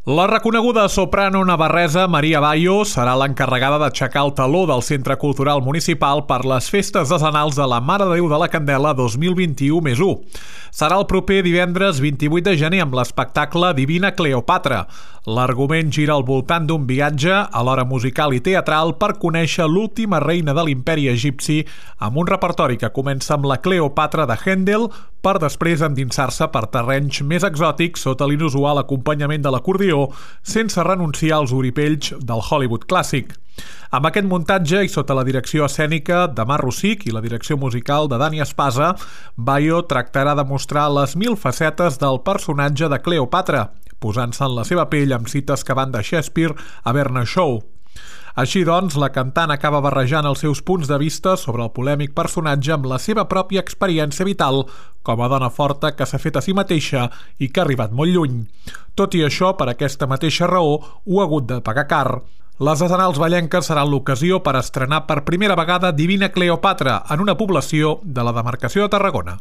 La reconeguda soprano navarresa Maria Bayo serà l'encarregada d'aixecar el taló del Centre Cultural Municipal per les festes decenals de la Mare de Déu de la Candela 2021+1. Serà el proper divendres 28 de gener amb l'espectacle Divina Cleopatra. L'argument gira al voltant d'un viatge, alhora musical i teatral, per conèixer l'última reina de l'imperi egipci amb un repertori que comença amb la Cleopatra de Händel per després endinsar-se per terrenys més exòtics sota l'inusual acompanyament de l'acordió, sense renunciar als oripells del Hollywood clàssic. Amb aquest muntatge i sota la direcció escènica de Mar Rosic i la direcció musical de Dani Espasa, Bayo tractarà de mostrar les 1000 facetes del personatge de Cleopatra, posant-se en la seva pell amb cites que van de Shakespeare a Bernard Shaw. Així doncs, la cantant acaba barrejant els seus punts de vista sobre el polèmic personatge amb la seva pròpia experiència vital com a dona forta que s'ha fet a si mateixa i que ha arribat molt lluny. Tot i això, per aquesta mateixa raó, ho ha hagut de pagar car. Les decenals vallenques seran l'ocasió per estrenar per primera vegada Divina Cleopatra en una població de la demarcació de Tarragona.